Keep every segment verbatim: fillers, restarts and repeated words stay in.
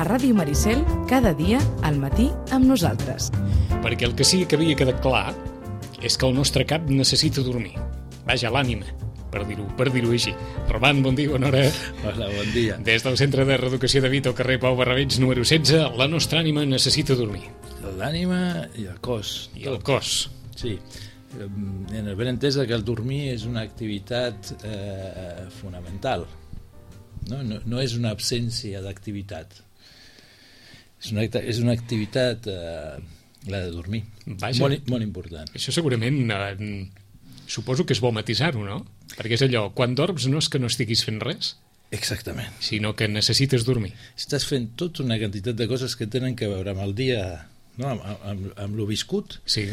Ràdio Maricel, cada dia al matí amb nosaltres. Perquè el que sí que havia quedat clar és que el nostre cap necessita dormir. Vaja, l'ànima, per dir-ho per dir-ho així. Roman, bon dia, bona hora. Hola, bon dia. Des del Centre de Reeducació de Vita al carrer Pau Barrabeig, número setze, la nostra ànima necessita dormir. L'ànima i el cos. I el cos. Sí. En el ben entès que el dormir és una activitat eh, fonamental. No? No, no és una absència d'activitat. És una, és una activitat, eh, la de dormir. Vaja. Molt, molt important. Això segurament, eh, suposo que és bo matisar-ho, no? Perquè és allò, quan dorms no és que no estiguis fent res, Exactament. sinó que necessites dormir. Estàs fent tota una quantitat de coses que tenen que veure amb el dia, no? amb, amb, amb lo viscut, Sí,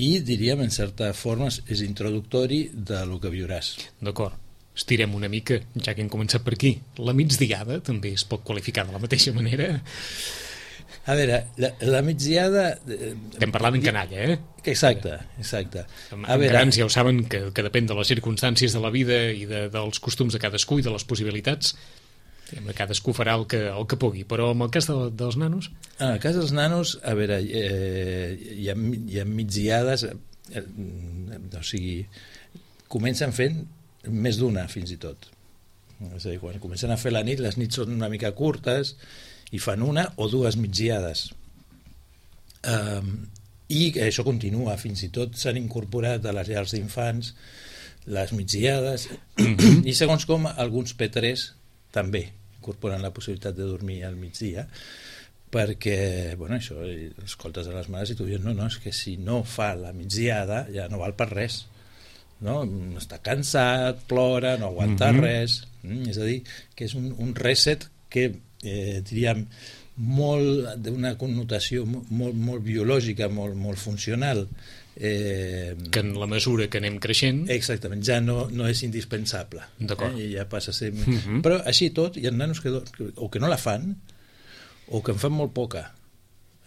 i diríem, en certa forma, és introductori de lo que viuràs. d'acord. Estirem una mica, ja que hem començat per aquí. La migdiada també es pot qualificar de la mateixa manera. A veure, la, la migdiada... Eh, Estem parlant en canalla, eh? Exacte, exacte. En, A en veure, grans ja ho saben, que, que depèn de les circumstàncies de la vida i de, dels costums de cadascú i de les possibilitats. Diguem, cadascú farà el que, el que pugui, però en el cas de, dels nanos... en el cas dels nanos, a veure, eh, hi, ha, hi ha migdiades, eh, o sigui, comencen fent més d'una, fins i tot. És a dir, quan comencen a fer la nit, les nits són una mica curtes i fan una o dues migdiades. Um, I això continua, fins i tot s'han incorporat a les llars d'infants les migdiades, Mhm. i segons com alguns P tres també incorporen la possibilitat de dormir al migdia, perquè, bueno, això, escoltes a les mares i tu dius, no, no, és que si no fa la migdiada ja no val per res, no? Està cansat, plora, no aguanta Mhm. res, mm, és a dir, que és un, un reset que, eh, diríem, molt d'una connotació molt, molt biològica, molt, molt funcional, eh, Que en la mesura que anem creixent... exactament, ja no, no és indispensable. D'acord. Eh? Ja passa a ser... Mhm. Però així i tot, hi ha nanos que, do- que o que no la fan o que en fan molt poca.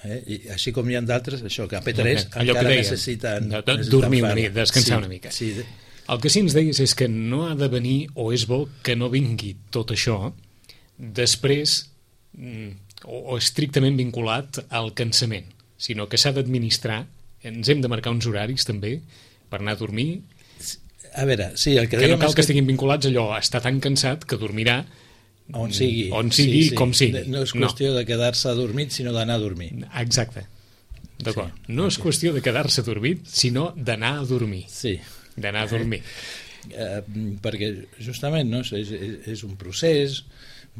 Eh? I així com hi ha d'altres, això, que a P tres Allò que encara dèiem, necessiten, de- de necessiten dormir una fer-la. mica, descansar Sí, una mica. Sí, de- El que sí ens deies és que no ha de venir, o és bo que no vingui tot això després mm, o, o estrictament vinculat al cansament, sinó que s'ha d'administrar, ens hem de marcar uns horaris també per anar a dormir, A veure, sí, el que, que no dèiem cal és que estiguin vinculats allò a estar tan cansat que dormirà on sigui, on sigui, com sigui. No és qüestió no. de quedar-se adormit, sinó d'anar a dormir. Exacte, d'acord. Sí, No és ok. qüestió de quedar-se dormit, sinó d'anar a dormir. Sí, D'anar a dormir. eh, perquè justament, no, és, és, és un procés,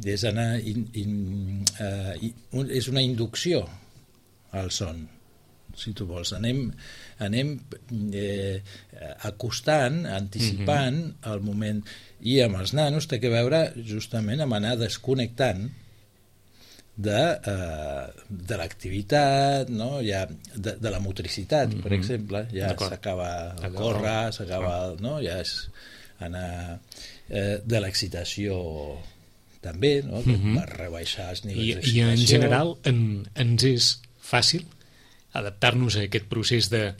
és anar in, in, eh, in, un, és una inducció al son, si tu vols. Anem, anem eh, acostant, anticipant mm -hmm. el moment, i amb els nanos té que veure justament amb anar desconnectant de, eh, de l'activitat, no? Ja, de, de la motricitat, mm -hmm. per exemple, ja s'acaba el córrer, s'acaba, no? Ja és anar eh, de l'excitació també, no? Mm -hmm. rebaixar els nivells I, d'excitació. I en general en, ens és fàcil adaptar-nos a aquest procés de,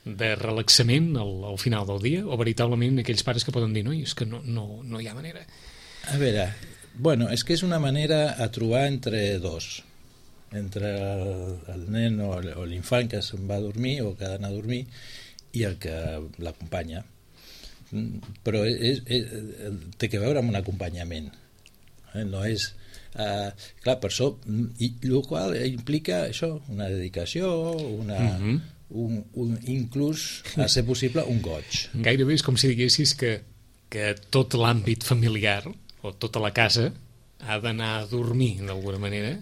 de relaxament al, al final del dia, o veritablement aquells pares que poden dir no, és que no, no, no hi ha manera. A veure, bueno, és que és una manera a trobar entre dos, entre el, el nen o, o l'infant que se'n va a dormir o que ha d'anar a dormir i el que l'acompanya. Però és, és, té que veure amb un acompanyament, eh? No és... Uh, clar, per això, i el qual implica això, una dedicació, una, uh -huh. un, un, inclús, a ser possible, un goig. Gairebé és com si diguessis que, que tot l'àmbit familiar o tota la casa ha d'anar a dormir d'alguna manera.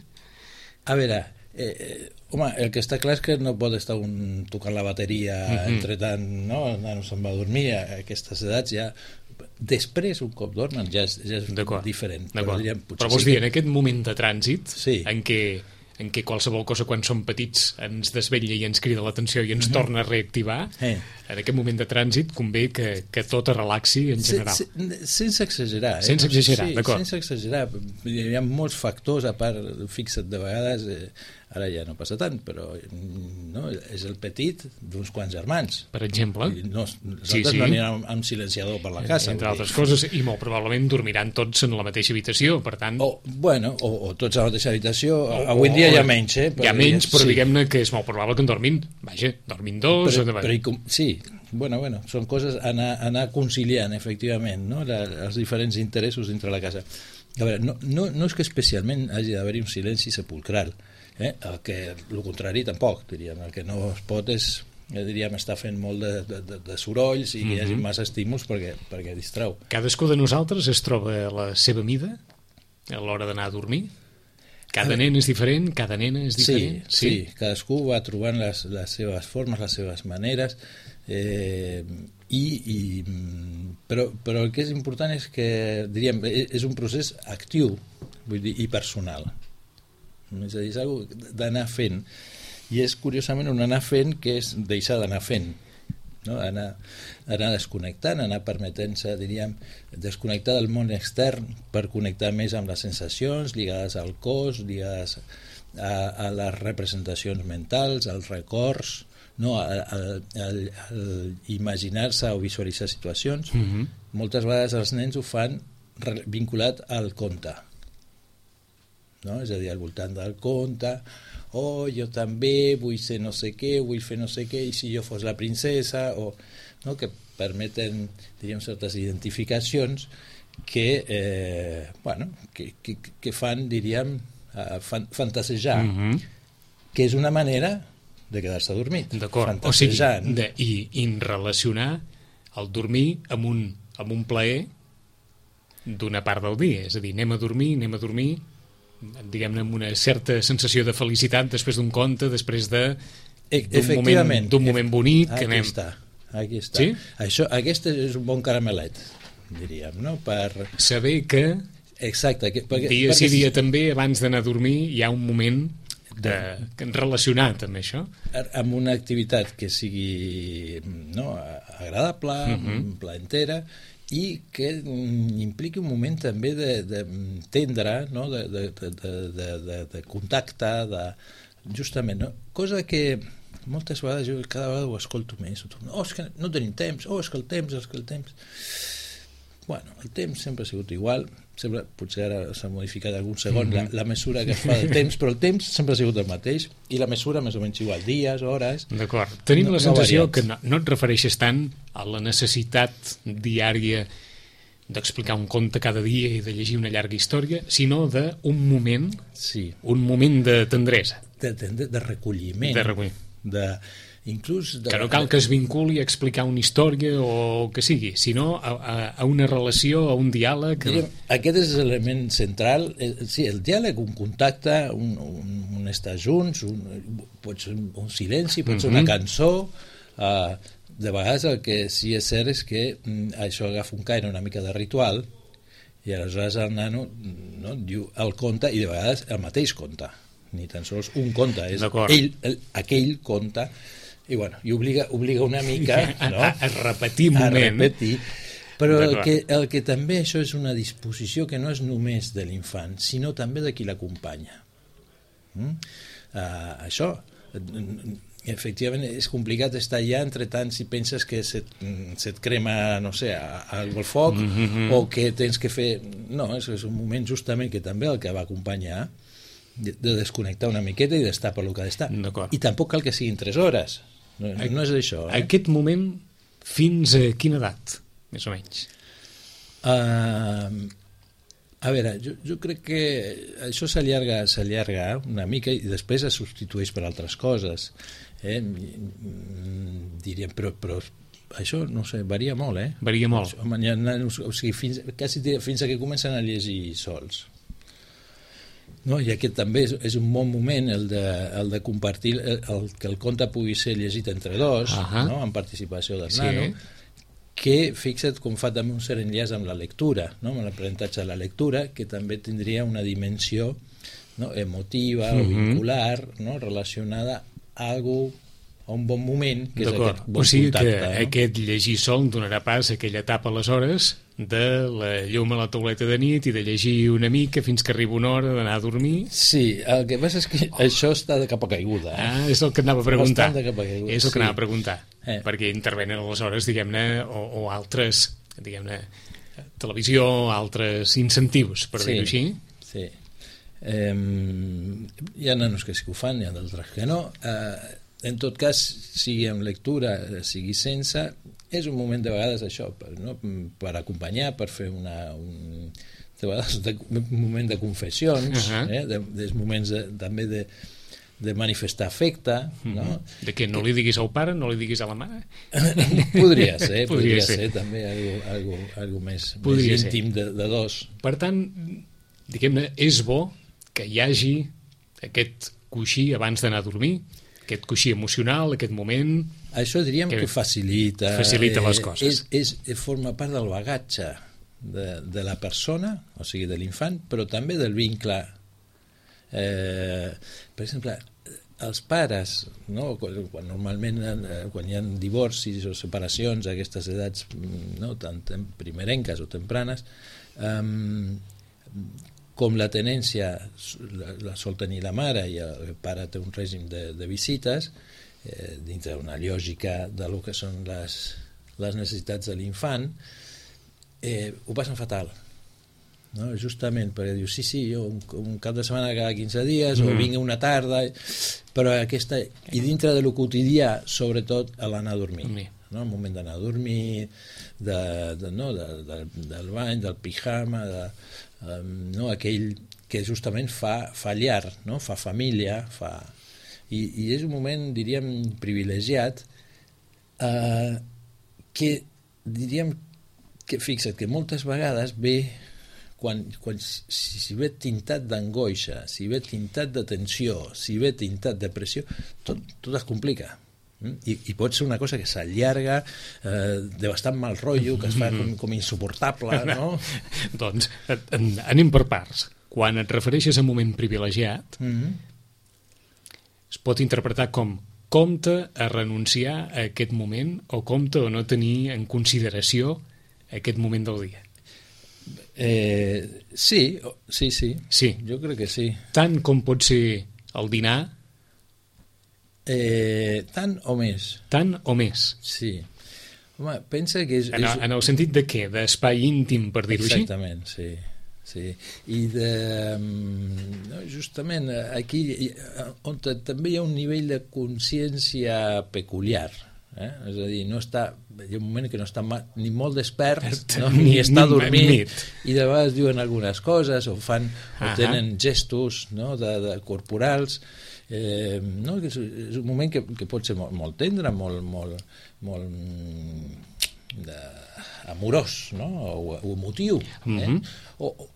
A veure, eh, eh, home, el que està clar és que no pot estar un tocant la bateria uh -huh. entre tant, no? El nano se'n va a dormir, a aquestes edats ja... Després, un cop dormen, ja és, ja és diferent. Però, diríem, però vols sí dir, que... en aquest moment de trànsit, sí. en què en què qualsevol cosa quan som petits ens desvetlla i ens crida l'atenció i ens uh-huh. torna a reactivar, eh. en aquest moment de trànsit convé que, que tot es relaxi en general. Se, se, sense exagerar. Eh? Sense exagerar, sí, d'acord. Sense exagerar. Hi ha molts factors, a part, fixa't de vegades, eh, Ara ja no passa tant, però no, és el petit d'uns quants germans. Per exemple. I no, nosaltres sí, sí. no anirem amb silenciador per la casa. Entre altres coses, i molt probablement dormiran tots en la mateixa habitació, per tant... O, bueno, o, o tots a la mateixa habitació. O, avui en dia hi ha menys, eh? Hi ha menys, però sí. Diguem-ne que és molt probable que en dormin, vaja, dormin dos... Però, o però com, sí, bueno, bueno, són coses a anar, anar conciliant, efectivament, no? La, els diferents interessos dintre la casa. A veure, no, no, no és que especialment hagi d'haver-hi un silenci sepulcral, eh? El que, el contrari tampoc, diríem, el que no es pot és, eh, diríem, estar fent molt de, de, de sorolls i que hi hagi massa estímuls perquè, perquè distrau. Cadascú de nosaltres es troba a la seva mida a l'hora d'anar a dormir? Cada nen és diferent, cada nena és diferent? Sí, sí, sí, cadascú va trobant les, les seves formes, les seves maneres, eh, i, i, però, però el que és important és que, diríem, és un procés actiu, vull dir, i personal. És a dir, és una cosa d'anar fent. I és, curiosament, un anar fent que és deixar d'anar fent. No? Anar, anar desconnectant, anar permetent-se, diríem, desconnectar del món extern per connectar més amb les sensacions lligades al cos, lligades a, a les representacions mentals, als records, no? a, a, a, a imaginar-se o visualitzar situacions. Mm-hmm. Moltes vegades els nens ho fan vinculat al conte, no? És a dir, al voltant del conte, oh, jo també vull ser no sé què, vull fer no sé què, i si jo fos la princesa, o, no? Que permeten, diríem, certes identificacions que, eh, bueno, que, que, que fan, diríem, uh, fan, fantasejar, mm-hmm. que és una manera de quedar-se dormit. D'acord, o sigui, de, i, i relacionar el dormir amb un, amb un plaer d'una part del dia, és a dir, anem a dormir, anem a dormir, diguem-ne, amb una certa sensació de felicitat després d'un conte, després de d'un moment, d'un moment bonic. Aquí anem... està, aquí està. Sí? Això, aquest és un bon caramelet, diríem, no? Per saber que exacte, que, perquè, dia perquè... sí dia també, abans d'anar a dormir, hi ha un moment de... relacionat amb això. Amb una activitat que sigui, no, agradable, uh-huh. plaentera, i que impliqui un moment també de, de tendre, no? de, de, de, de, de, de contacte, de, justament, no? Cosa que moltes vegades jo cada vegada ho escolto més, oh, és que no tenim temps, oh, és que el temps, és que el temps... Bueno, el temps sempre ha sigut igual, sempre, potser ara s'ha modificat algun segon mm-hmm. la, la mesura que es fa del temps, però el temps sempre ha sigut el mateix, i la mesura més o menys igual, dies, hores... D'acord. Tenim no, la sensació no que no, no et refereixes tant a la necessitat diària d'explicar un conte cada dia i de llegir una llarga història, sinó d'un moment, sí. un moment de tendresa. De, de, de recolliment. De recolliment. De... Inclús de... Que no cal que es vinculi a explicar una història o que sigui, sinó a, a, a una relació, a un diàleg. Direm, aquest és l'element central, eh, sí, el diàleg, un contacte, un, un, un estar junts, un, pot ser un silenci, pot ser una cançó. Uh, de vegades el que sí és cert és que mm, això agafa un caire una mica de ritual, i aleshores el nano, no, diu el conte, i de vegades el mateix conte, ni tan sols un conte, és ell, el, aquell conte. I, bueno, i obliga, obliga una mica, no? a, a repetir un moment. A repetir. Però el que, el que també això és una disposició que no és només de l'infant, sinó també de qui l'acompanya. Mm? Uh, això, efectivament, és complicat estar allà, entre tant, si penses que se't, se't crema, no sé, algo al foc, mm-hmm. o que tens que fer... No, és, és un moment justament que també el que va acompanyar de, de desconnectar una miqueta i d'estar per lo que ha d'estar. I tampoc cal que siguin tres hores. No, no és això. Eh? Aquest moment, fins a quina edat, més o menys? Uh, a veure, jo, jo crec que això s'allarga s'allarga una mica i després es substitueix per altres coses. Eh? Diríem, però, però això, no sé, varia molt, eh? Varia molt. O sigui, fins, quasi fins a que comencen a llegir sols. No, i aquest també és, és un bon moment el de, el de compartir el, el, que el conte pugui ser llegit entre dos, uh-huh. no? En participació del sí. nano, que fixa't com fa també un cert enllaç amb la lectura, no? Amb l'aprenentatge de la lectura, que també tindria una dimensió, no? Emotiva uh-huh. o vincular, no? Relacionada a algo a un bon moment, que és D'acord. aquest bon O sigui contacte. que No? aquest llegir sol donarà pas a aquella etapa aleshores de la llum a la tauleta de nit i de llegir una mica fins que arriba una hora d'anar a dormir. Sí, el que passa és que oh. això està de cap a caiguda. Eh? Ah, és el que anava a preguntar. Bastant de cap a caiguda. És el que sí. anava a preguntar. Eh. Perquè intervenen aleshores, diguem-ne, o, o altres, diguem-ne, televisió, altres incentius, per sí, dir-ho així. Sí. Eh, hi ha nanos que sí que ho fan, hi ha d'altres que no. Eh, en tot cas, sigui amb lectura, sigui sense, és un moment de vegades això, per, no? per acompanyar, per fer una, un, de vegades de, un moment de confessions, uh -huh. eh? de, de moments de, també de, de manifestar afecte. Uh -huh. no? De què, no li diguis al pare, no li diguis a la mare? podria ser, podria, podria ser. ser també algo, algo, algo més, podria més ser. íntim de, de dos. Per tant, diguem-ne, és bo que hi hagi aquest coixí abans d'anar a dormir, aquest coixí emocional, aquest moment... Això diríem que, que facilita... Facilita les eh, coses. És, és, forma part del bagatge de, de la persona, o sigui, de l'infant, però també del vincle. Eh, per exemple, els pares, no? quan, quan normalment eh, quan hi ha divorcis o separacions a aquestes edats, no? tant primerenques o tempranes, eh, com la tenència la, la sol tenir la mare i el pare té un règim de, de visites, eh, dintre d'una lògica de lo que són les, les necessitats de l'infant, eh, ho passen fatal. No? Justament perquè diu, sí, sí, jo un, un cap de setmana cada quinze dies, mm. o vinc una tarda, però aquesta... I dintre de lo quotidià, sobretot, a l'anar a dormir. Mm. No? El moment d'anar a dormir, de, de, no? de, de, del bany, del pijama, de, um, no? aquell que justament fa, fa llar, no? Fa família, fa... I, i és un moment, diríem, privilegiat, eh, que diríem que, fixa't, que moltes vegades ve, quan, quan si, si ve tintat d'angoixa, si ve tintat de tensió, si ve tintat de pressió, tot, tot es complica. I, i pot ser una cosa que s'allarga, eh, de bastant mal rotllo, que es fa com, com insuportable, no? Doncs anem per parts. Quan et refereixes a un moment privilegiat, mm-hmm. es pot interpretar com compte a renunciar a aquest moment o compte o no tenir en consideració aquest moment del dia. Eh, sí, sí, sí, sí. Jo crec que sí. Tant com pot ser el dinar? Eh, tant o més. Tant o més? Sí. Home, pensa que és... En, és... en el sentit de què? D'espai íntim, per dir-ho així? Exactament, sí. Sí. I de, no, justament aquí on també hi ha un nivell de consciència peculiar, eh? És a dir, no està, hi ha un moment que no està ni molt despert, no? ni, ni està dormint, i de vegades diuen algunes coses o fan o uh-huh. tenen gestos, no? de, de corporals, eh, no? que és, és un moment que, que pot ser molt, molt tendre, molt, molt, molt de, amorós, no? o, o emotiu, eh? uh-huh. o,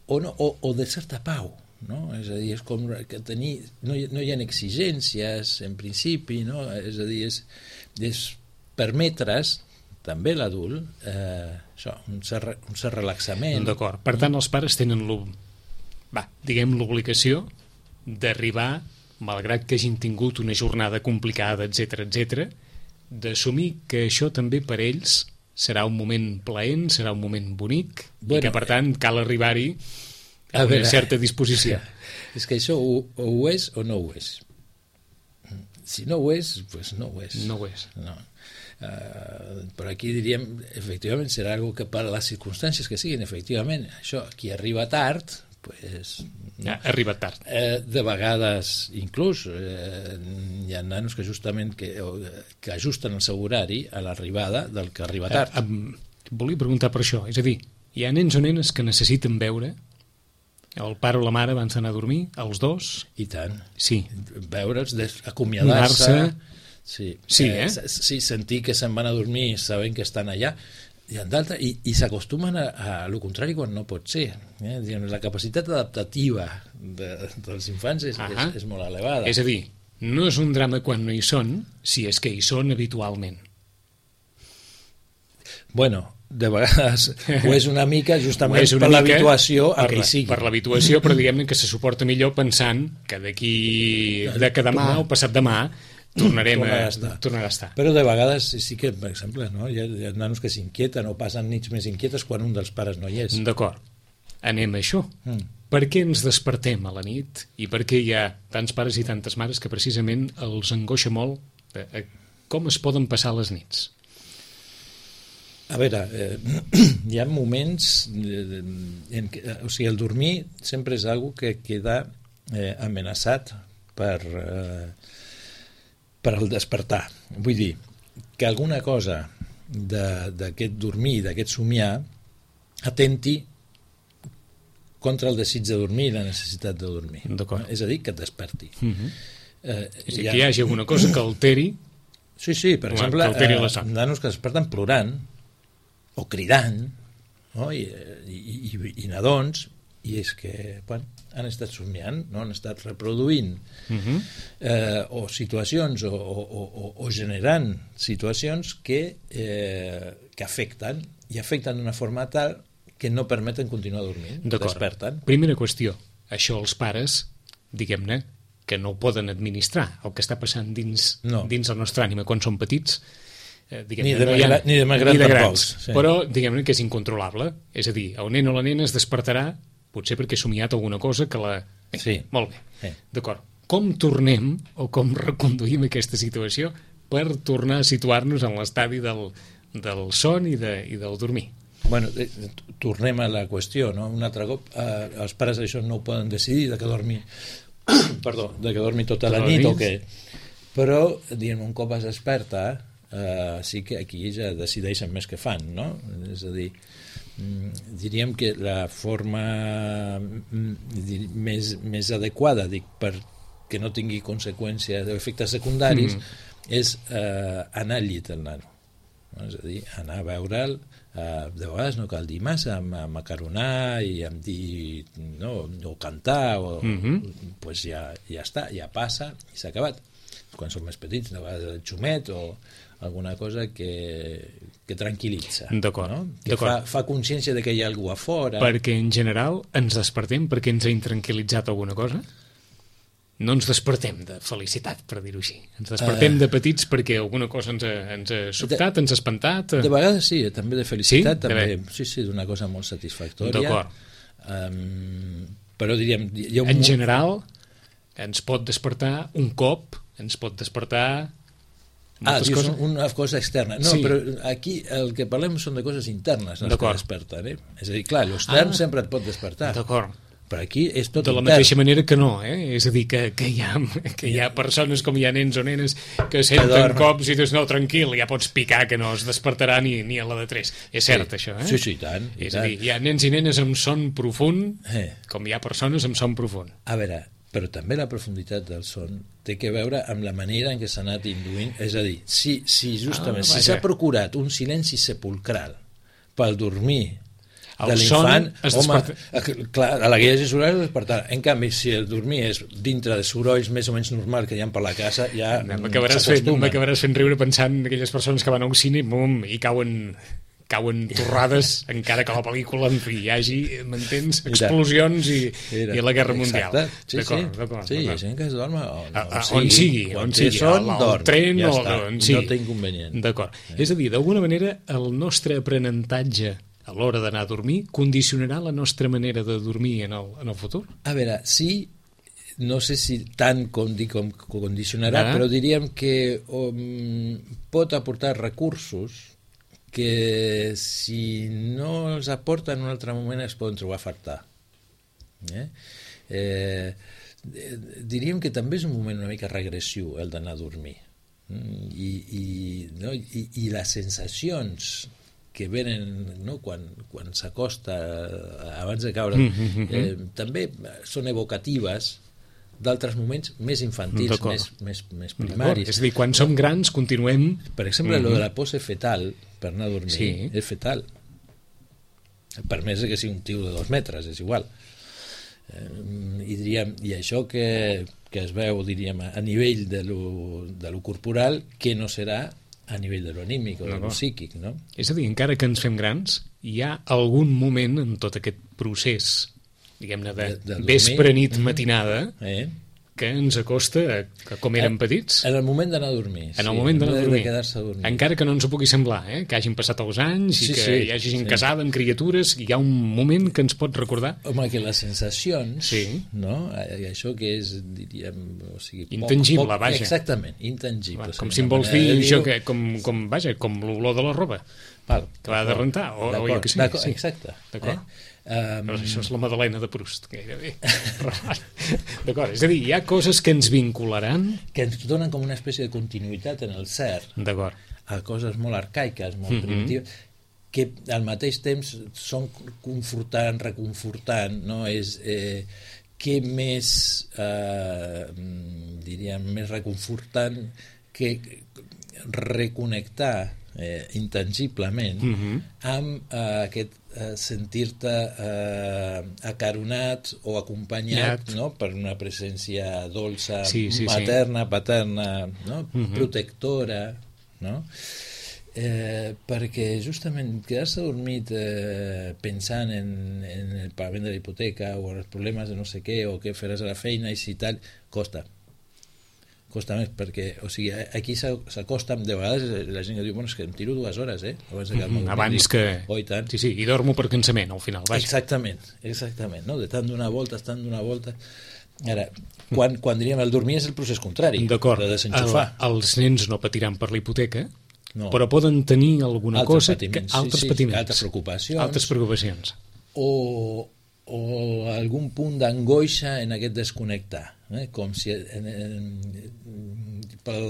o, no, o, o de certa pau, no? És a dir, és com que tenir, no, hi, no hi ha exigències en principi, no? És a dir, és, és permetre's també l'adult eh, això, un cert, un cert relaxament. D'acord, per tant els pares tenen va, diguem l'obligació d'arribar, malgrat que hagin tingut una jornada complicada, etcètera, etcètera, d'assumir que això també per ells serà un moment plaent, serà un moment bonic, bueno, i que, per tant, cal arribar-hi a, a una veure, certa disposició. És que això o, o ho és o no ho és. Si no ho és, doncs pues no ho és. No ho és. No. Uh, però aquí diríem, efectivament, serà algo que per a les circumstàncies que siguin, efectivament, això, qui arriba tard, pues, no? Ja, arriba tard. Eh, de vegades, inclús, eh, hi ha nanos que justament que, que ajusten el seu horari a l'arribada del que arriba tard. Eh, eh, volia preguntar per això, és a dir, hi ha nens o nenes que necessiten veure el pare o la mare abans d'anar a dormir, els dos? I tant. Sí. Veure'ls, acomiadar-se, sí, sí, eh? eh? sí, sentir que se'n van a dormir sabent que estan allà, i, i, i s'acostumen a, a lo contrari quan no pot ser. Eh? La capacitat adaptativa de, dels infants és, és, és molt elevada. És a dir, no és un drama quan no hi són, si és que hi són habitualment. Bueno, de vegades ho és una mica justament una per l'habituació a que hi sigui. Per l'habituació, però diguem-ne que se suporta millor pensant que d'aquí de que demà o passat demà tornarem tornarà a, a estar. tornarà a estar. Però de vegades sí que, per exemple, no? hi, ha, hi ha nanos que s'inquieten o passen nits més inquietes quan un dels pares no hi és. D'acord. Anem a això. Mm. Per què ens despertem a la nit i per què hi ha tants pares i tantes mares que precisament els angoixa molt eh, eh, com es poden passar les nits? A veure, eh, hi ha moments eh, en què, o sigui, el dormir sempre és algo que queda eh, amenaçat per, eh, per el despertar. Vull dir, que alguna cosa d'aquest dormir, d'aquest somiar, atenti contra el desig de dormir i la necessitat de dormir. És a dir, que et desperti. Uh-huh. eh, és a dir, ha... que hi hagi alguna cosa que alteri. Sí, sí, per Home, exemple, eh, nanos que desperten plorant o cridant, no? I, i, i, i nadons, i és que bueno, han estat somiant, no? Han estat reproduint uh-huh. eh, o situacions o, o, o, o generant situacions que, eh, que afecten i afecten d'una forma tal que no permeten continuar dormint, desperten. Primera qüestió, això els pares, diguem-ne, que no ho poden administrar, el que està passant dins, no. dins el nostre ànima quan som petits, eh, ni, de no ha, ni de més grans tampoc. Sí. Però diguem-ne que és incontrolable, és a dir, el nen o la nena es despertarà potser perquè ha somiat alguna cosa que la... Eh, sí. Molt bé, sí. D'acord. Com tornem o com reconduïm aquesta situació per tornar a situar-nos en l'estadi del, del son i, de, i del dormir? Bueno, eh, tornem a la qüestió, no? Un altre cop, eh, els pares això no ho poden decidir, de que dormi, perdó, de que dormi tota la nit o què. Però, diguem, un cop es desperta, eh, sí que aquí ja decideixen més què fan, no? És a dir, diríem que la forma més, més adequada, dic, perquè no tingui conseqüències o efectes secundaris, mm. és eh, anar al llit el nano. No? És a dir, anar a veure'l. Uh, de vegades no cal dir massa, amb, amb acaronar i amb dir no, o cantar o, mm-hmm. pues ja, ja està, ja passa i s'ha acabat. Quan som més petits, de vegades el xumet o alguna cosa que, que tranquil·litza, no? Que fa, fa consciència de que hi ha algú a fora. Perquè en general ens despertem perquè ens ha intranquil·litzat alguna cosa? No ens despertem de felicitat, per dir-ho així. Ens despertem uh, de petits perquè alguna cosa ens ha, ens ha sobtat, de, ens ha espantat. De vegades sí, també de felicitat, sí? també, sí, sí, d'una cosa molt satisfactòria. D'acord. Um, però diríem... Hi ha un en moment... general, ens pot despertar un cop, ens pot despertar... Ah, dius coses... una cosa externa. No, sí. Però aquí el que parlem són de coses internes, les que desperten. Eh? És a dir, clar, l'extern ah, sempre et pot despertar. D'acord. Però aquí és tot de la intern. Mateixa manera que no, eh? És a dir, que, que, hi ha, que hi ha persones com hi ha nens o nenes que senten cops i dius, no, tranquil, ja pots picar que no es despertarà ni, ni a la de tres. És cert, sí. això, eh? Sí, sí, i tant. I és tant. a dir, hi ha nens i nenes amb son profund, eh. com hi ha persones amb son profund. A veure, però també la profunditat del son té que veure amb la manera en què s'ha anat induint, és a dir, si, si justament ah, si s'ha procurat un silenci sepulcral pel dormir el de l'infant, home, clar, a la guia de sorolls es despertarà. En canvi, si el dormir és dintre de sorolls més o menys normals que hi ha per la casa, ja m'acabaràs fent, m'acabaràs fent riure pensant en aquelles persones que van a un cine bum, i cauen cauen torrades, encara que la pel·lícula en fi, hi hagi, m'entens, explosions i, i la Guerra Mundial. Sí, sí, sí, hi ha gent que es dorm on, on, on sigui, on sigui, son, al, al tren ja o està, on sigui. No té inconvenient. D'acord. Eh. És a dir, d'alguna manera, el nostre aprenentatge a l'hora d'anar a dormir condicionarà la nostra manera de dormir en el, en el futur? A veure, sí, no sé si tant com dic com condicionarà, ah. però diríem que um, pot aportar recursos que si no els aporta en un altre moment es poden trobar a faltar. Eh? Eh, diríem que també és un moment una mica regressiu el d'anar a dormir. I, i, no? I, i les sensacions que venen, no? quan, quan s'acosta abans de caure, eh, també són evocatives d'altres moments més infantils, més, més, més primaris. És a dir, quan som grans continuem... Per exemple, mm-hmm. lo de la pose fetal per anar a dormir sí. és fetal. Per més que sigui un tio de dos metres, és igual. Eh, i, diríem, i això que, que es veu, diríem, a nivell de lo, de lo corporal, que no serà a nivell de lo anímic o no, de lo psíquic, no? És a dir, encara que ens fem grans, hi ha algun moment en tot aquest procés, diguem-ne, de, de vespre, nit, matinada, eh? que ens acosta a, a com érem petits. En el moment d'anar a dormir. En el sí, moment d'anar a dormir. De quedar-se a dormir. Encara que no ens ho pugui semblar, eh? Que hagin passat els anys i sí, que sí, hi hagi gent sí. casada amb criatures, i hi ha un moment que ens pot recordar. Home, que les sensacions, sí. no? I això que és, diríem... O sigui, intangible, poc, poc, vaja. Exactament, intangible. Com si em vols dir això, que, com, com, vaja, com l'olor de la roba. Val, que va de rentar, o, o jo que sé. Sí. Exacte. D'acord. Eh? Um... Però això és la Madalena de Proust, gairebé. D'acord, és a dir, hi ha coses que ens vincularan... Que ens donen com una espècie de continuïtat en el ser. D'acord. A coses molt arcaiques, molt mm-hmm. primitives, que al mateix temps són confortant, reconfortant, no? És... Eh, què més, eh, diríem, més reconfortant que reconnectar eh, intangiblement mm-hmm. amb eh, aquest eh, sentir-te eh, acaronat o acompanyat no? Per una presència dolça, sí, sí, materna, sí. paterna, no? Mm-hmm. protectora, no? Eh, perquè justament quedar-se dormit eh, pensant en, en el pagament de la hipoteca o en els problemes de no sé què o què faràs a la feina i si tal, costa costa més, perquè o sigui, aquí s'acosta, de vegades la gent que diu, bueno, és que em tiro dues hores eh? abans, de mm, abans que... Oh, i tant. Sí, sí, i dormo per cansament al final, vaja. Exactament, exactament, no? De tant d'una volta, tant d'una volta. Ara, quan, quan diríem el dormir és el procés contrari, d'acord, de desenxufar. El, els nens no patiran per la hipoteca, no. Però poden tenir alguna altres cosa... Patiments, que, altres sí, sí, patiments. Altres preocupacions. Altres preocupacions. O, o algun punt d'angoixa en aquest desconnectar. Eh? Com si... En, en, pel,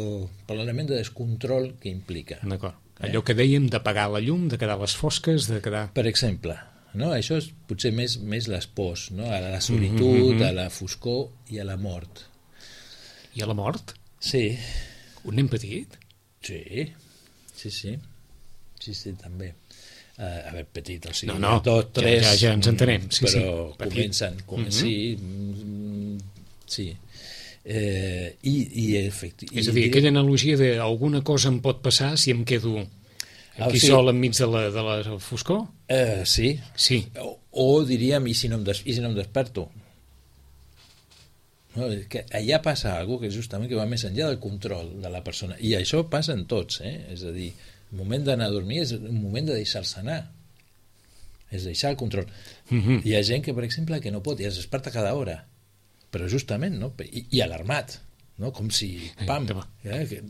per l'element de descontrol que implica. D'acord. Allò eh? que dèiem d'apagar la llum, de quedar a les fosques, de quedar... Per exemple, no? Això és potser més, més les pors, no? A la solitud, mm-hmm. a la foscor i a la mort. I a la mort? Sí. Un nen petit? Sí. Sí, sí, sí, sí, també. Uh, a veure, petit, o sigui, no, no, dos, tres... Ja, ja, ja ens entenem, sí, però sí. comencen, com, mm-hmm. sí, mm, sí. Eh, i, i efecti... És a dir, aquella analogia de alguna cosa em pot passar si em quedo aquí ah, sí. sol enmig de la, de la foscor? Uh, sí. Sí. O, o diríem, i si no em, des, i si no em desperto? No, que allà passa alguna cosa que justament que va més enllà del control de la persona, i això passa en tots, eh? És a dir, el moment d'anar a dormir és un moment de deixar-se anar, és deixar el control. Mm-hmm. Hi ha gent que, per exemple, que no pot i es desperta cada hora, però justament, no? I, i alarmat, no? Com si, pam, eh? que,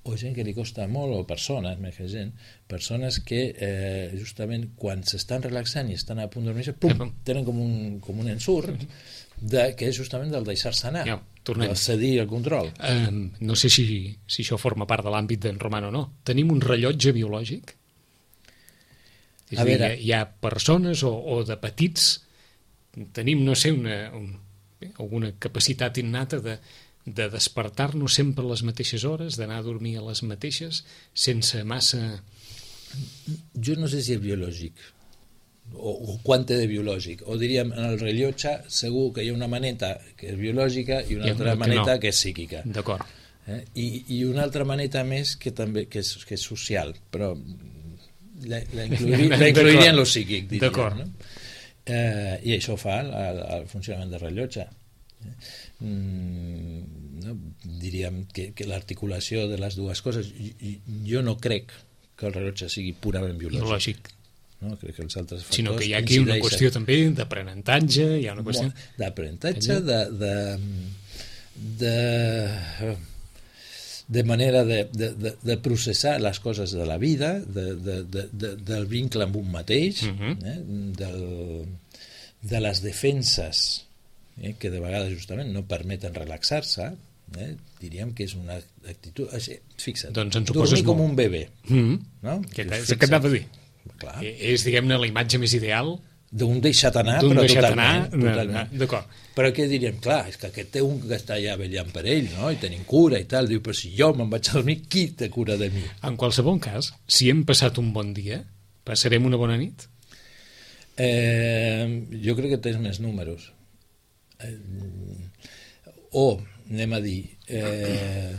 o gent que li costa molt, o persones, més que gent, persones que eh, justament quan s'estan relaxant i estan a punt de dormir, pum, tenen com un, com un ensurt, de, que és justament del deixar-se anar, ja, del cedir el control. Um, no sé si, si això forma part de l'àmbit d'en Roman o no. Tenim un rellotge biològic? És a, a dir, veure... hi, hi ha persones o, o de petits tenim, no sé, una, un, alguna capacitat innata de, de despertar-nos sempre a les mateixes hores, d'anar a dormir a les mateixes, sense massa... Jo no sé si és biològic, o, o quant té de biològic, o diríem en el rellotge segur que hi ha una maneta que és biològica i una I altra que maneta no. que és psíquica, d'acord. Eh? I, i una altra maneta més que també que és, que és social, però la, la, incluiria, la incluiria en lo psíquic, diria, d'acord. No? Eh, i això fa el, el, el funcionament del rellotge. Mm, no? Diríem que, que l'articulació de les dues coses, jo no crec que el rellotge sigui purament biològic, biològic. No? Crec que els altres factors sinó que hi ha aquí una qüestió també d'aprenentatge, hi ha una qüestió d'aprenentatge, de, de, de, de manera de, de, de, de processar les coses de la vida, de, de, de, de, del vincle amb un mateix, uh-huh. eh? del, de les defenses eh? que de vegades justament no permeten relaxar-se. Eh? Diríem que és una actitud... Fixa't, doncs dormir com un bebè. Mm-hmm. No? Que és el que anava a dir. Clar. És, diguem-ne, la imatge més ideal d'un deixat anar, d'un però deixat totalment, anar, totalment. D'acord. Però què diríem? Clar, és que aquest té un que està allà vetllant per ell, no? I tenim cura i tal. Diu, però si jo me'n vaig a dormir, qui té cura de mi? En qualsevol cas, si hem passat un bon dia, passarem una bona nit? Eh, jo crec que tens més números. Eh, o, anem a dir... Eh,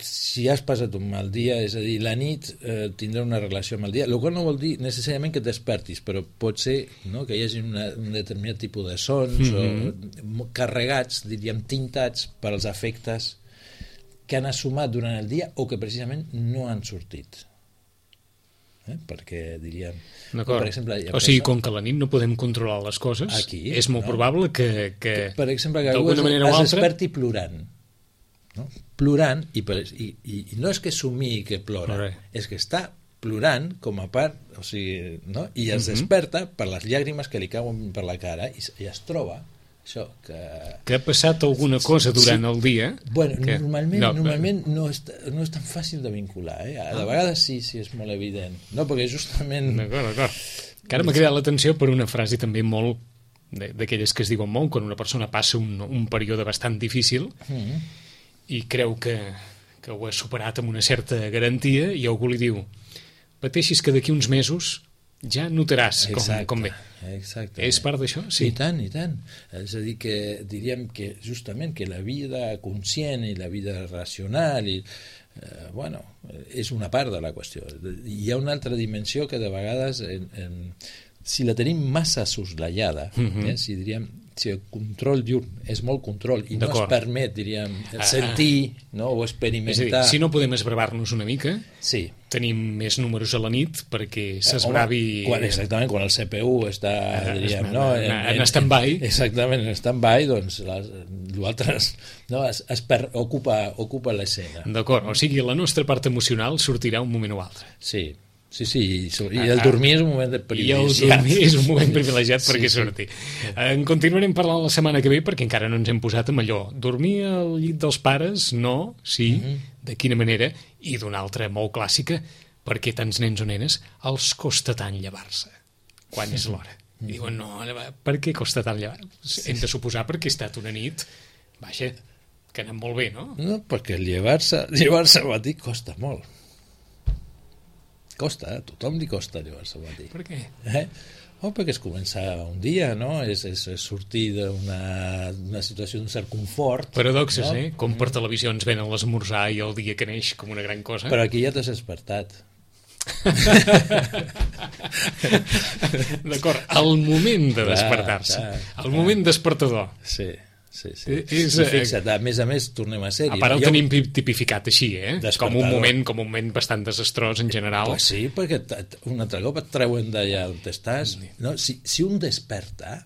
si has passat un mal dia, és a dir, la nit eh, tindrà una relació amb el dia, el qual no vol dir necessàriament que et despertis, però pot ser, no?, que hi hagi una, un determinat tipus de sons mm-hmm. o carregats, diríem, tintats per als efectes que han assumat durant el dia o que precisament no han sortit. Eh? Perquè diríem... Per exemple, o sigui, com que a la nit no podem controlar les coses, aquí, és molt no? probable que, que, que per exemple, que algú es, es altra... desperti plorant. No? Plorant, i, per, i, i, i no és que somii que plora, Plore. és que està plorant com a part, o sigui, no? I es uh-huh. desperta per les llàgrimes que li cauen per la cara i, i es troba això, que... que ha passat alguna cosa durant sí. el dia. Bueno, que... normalment, no, normalment no, és, no és tan fàcil de vincular, eh? De ah. vegades sí, sí, és molt evident. No, perquè justament... D'acord, d'acord. Que ara m'ha cridat l'atenció per una frase també molt d'aquelles que es diuen molt quan una persona passa un, un període bastant difícil mm-hmm. i creu que, que ho ha superat amb una certa garantia i algú li diu, pateixis que d'aquí uns mesos ja notaràs com, exacte, com ve. Exacte. És part d'això? Sí. I tant, i tant. És a dir, que diríem que justament que la vida conscient i la vida racional i, eh, bueno, és una part de la qüestió. Hi ha una altra dimensió que de vegades en, en, si la tenim massa soslaiada, mm-hmm. eh, si diríem si el control diurn és molt control i no es permet, diríem, sentir ah, no, o experimentar... És a dir, si no podem esbravar-nos una mica, sí. tenim més números a la nit perquè s'esbravi... Eh, quan, exactament, quan el C P U està, ah, diríem, en, no, en, en, en stand-by... Exactament, en stand-by, doncs l'altre no, es, es per, ocupa, ocupa l'escena. D'acord, o sigui, la nostra part emocional sortirà un moment o altre. Sí. Sí, sí, i el dormir és un moment privilegiat. I el dormir és un moment privilegiat perquè sí, surti. Sí. En continuarem parlant la setmana que ve perquè encara no ens hem posat amb allò. Dormir al llit dels pares, no, sí, mm-hmm. de quina manera, i d'una altra molt clàssica, perquè tants nens o nenes els costa tant llevar-se quan és l'hora. I diuen, no, per què costa tant llevar-se? Hem de suposar perquè ha estat una nit, vaja, que ha anat molt bé, no? No, perquè llevar-se llevar-se al matí costa molt. Costa, a tothom li costa llevar-se al matí. Per què? Eh? Oh, perquè és començar un dia, no? És, és, és sortir d'una situació d'un cert confort. Paradoxes, no? Eh? Com per Mm. televisió ens venen l'esmorzar i el dia que neix com una gran cosa. Però aquí ja t'has despertat. D'acord, el moment de despertar-se. El moment despertador. Sí. Sí, sí. És, I fixa't, a més a més, tornem a ser-hi. A part el jo... tenim tipificat així, eh? Com un moment com un moment bastant desastrós en general. Pues sí, perquè un altre cop et treuen d'allà on estàs. No? Si, si un desperta,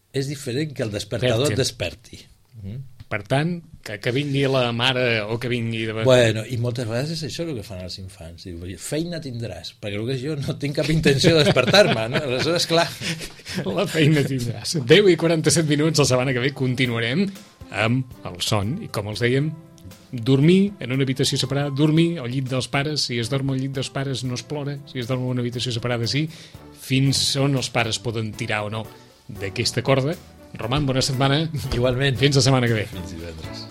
és diferent que el despertador et desperti. Mm? Per tant, que, que vingui la mare o que vingui... De... Bueno, i moltes vegades és això el que fan els infants. Diu, feina tindràs, perquè el que jo no tinc cap intenció de despertar-me, no? Aleshores, clar... La feina tindràs. deu i quaranta-set minuts, la setmana que ve continuarem amb el son, i com els dèiem, dormir en una habitació separada, dormir al llit dels pares, si es dorm al llit dels pares no es plora, si es dorm en una habitació separada sí, fins on els pares poden tirar o no d'aquesta corda. Roman, bona setmana. Igualment. Fins la setmana que ve. Fins divendres.